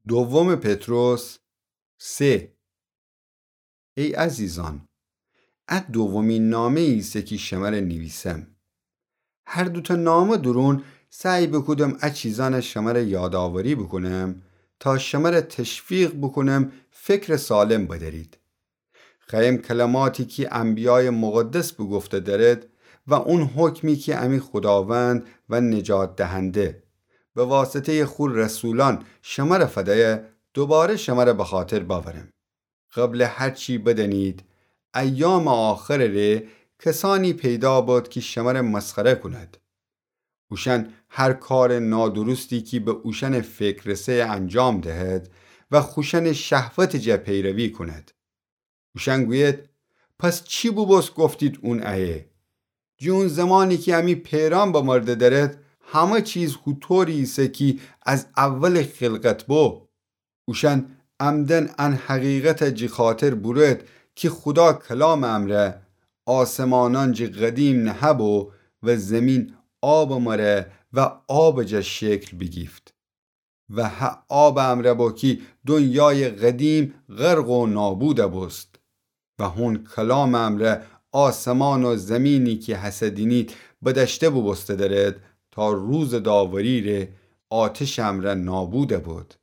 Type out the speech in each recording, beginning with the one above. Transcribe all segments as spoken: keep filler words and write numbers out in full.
دومٚ پطرس سه. ای عزیزأن، ا دومی نامه‌یی ایسه کی شمره نیویسم. هر دوتأ نامه دورون سعی بوکودم ا چیزأنه شمره یادآوری بوکونم تا شمره تشویق بوکونم فکرٚ سالم بدأرید. خوأیم کلماتی کی انبیایٚ مقدس بوگفته دأرد و اون حکمی کی امی خوداوند و نجات دهنده به واسطه‌یٚ خو رسولأن شمره فدیه دوباره شمره بخاطر بأورم. قبلٚ هر چی بدأنید، ایامٚ آخرٚ ره کسأنی پیدا بد کی شمره مسخره کونید. اوشأن هر کارٚ نادرستی کی به اوشأنٚ فکر رسه انجام دهد و خوشأنٚ شهوتٚ جا پیروی کونید. اوشأن گوید: پس چی بوبوست گفتید اون ایه؟ جٚه اون زمانی کی امی پئرأن بمرده دأرد، همه چیز هوطوری ایسه کی از اولٚ خلقت بو. اوشأن عمداً ان حقیقته جٚه خاطر بورد کی خودا کلامٚ امرأ آسمانأن جٚه قدیم نهه‌بو و زیمین آبٚ مره و آبٚ جا شکل بیگیفت. و هه آبٚ امرأ بو کی دنیایٚ قدیم غرق و نابودَ بوست. و هون کلامٚ امرأ آسمان و زیمینی کی هسه دینید بدأشته بوبوسته دأرد تا روزٚ داوری ره آتشٚ امرأ نابودَ بد.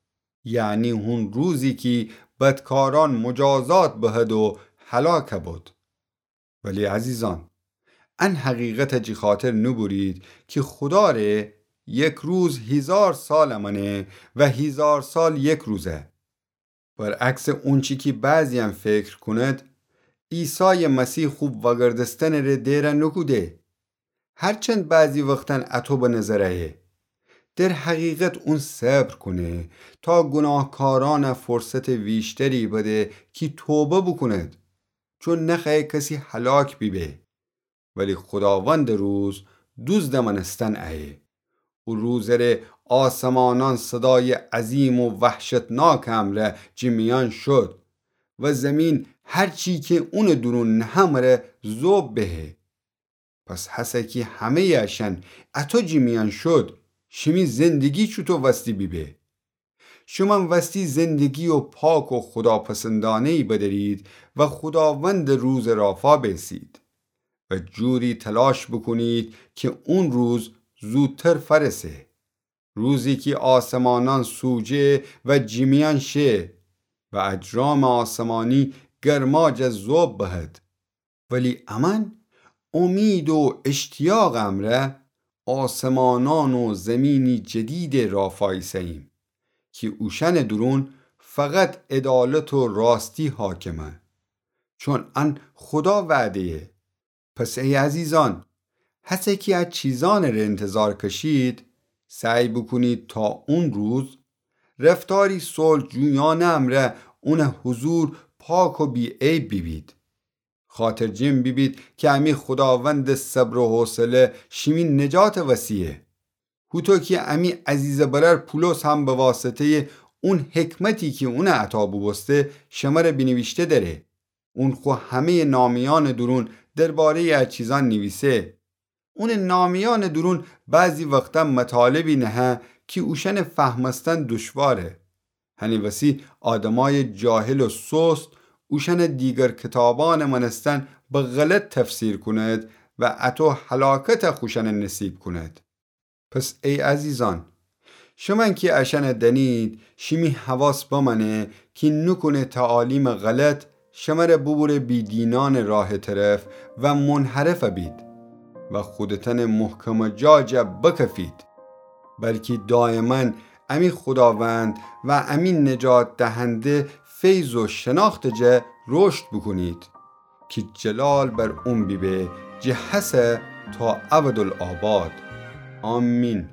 یعنی هون روزی کی بدکارأن مجازات بهد و هلاکَ بد. ولی عزیزأن، ان حقیقته جٚه خاطر نوبورید کی خودا ره یک روز هیزار سالَ مأنه و هیزار سال یک روزَ. برعکسٚ اونچی کی بعضی‌یأن فکر کونید، عیسایٚ مسیح خو وأگردستنٚ ره دئرَ نوکوده. هرچند بعضی وختأن اطو به نظر ایه، در حقیقت اون صبر کونه تا گوناهکارأنَ فرصتٚ ویشتری بده کی توبه بوکونید، چون نخوأیه کسی هلاک بیبه. ولی خوداوندٚ روز دوزدٚ مأنستن ایه. او روزٚ ره آسمانأن صدایٚ عظیم و وحشتناکٚ امرأ جٚه میأن شود و زیمین هرچی کی اونٚ دورون نهه مره ذوب بهه. پس هسه کی همه‌یٚ اشأن اطو جٚه میأن شود، شیمی زندگی چوطو وستی بیبه؟ شومأن وستی زندگی و پاک و خوداپسندأنه‌یی بدأرید و خوداوندٚ روزٚ رافا بیسید و جوری تلاش بوکونید کی اون روز زودتر فأرسه. روزی کی آسمانأن سوجه و جٚه میأن شه و اجرامٚ آسمانی گرما جا ذوب بهد. ولی امأن امید و اشتیاقٚ امرأ آسمانأن و زیمینی جدیدٚ رافا ایسه‌ییم کی اوشأنٚ دورون فقط عدالت و راستی حاکمه، چون ان خودا وعده‌یه. پس ای عزیزأن، هسه کی ا چیزأنٚ ره انتظار کشید، سعی بوکونید تا اون روز رفتاری صلح‌جویأنه امرأ اونٚ حضور پاک و بی‌عیب بیبید. خاطرجم بیبید کی امی خوداوندٚ صبر و حوصله شیمی نجاتٚ وسیعه. هوطو کی امی عزیزٚ برأر پولس هم به واسطه‌یٚ اون حکمتی کی اونَ عطا بوبوسته شمره بینیویشته دأره. اون خو همه‌یٚ نامه‌یأنٚ دورون درباره‌یٚ ا چیزأن نیویسه. اونٚ نامه‌یأنٚ دورون بعضی وختأن مطالبی نهه کی اوشأنٚ فهمستن دوشواره. هنی وسی آدمایٚ جاهل و سست اوشأنٚ دیگر کتابأنٚ مأنستن به غلط تفسیر کونید و اطو هلاکت خوشأنٚ نصیب کونید. پس ای عزیزأن، شومأن کی اشأنَ دأنید، شیمی حواس بمأنه کی نوکونه تعالیمٚ غلط شمره بوبوره بی‌دینأنٚ راهٚ طرف و منحرف بید و خودتأنٚ محکمٚ جا جا بکفید، بلکی دایماً امی خوداوند و امی نجات دهنده فیض و شناختٚ جا رشد بوکونید کی جلال بر اون بیبه جٚه هسه تا ابدالآباد. آمین.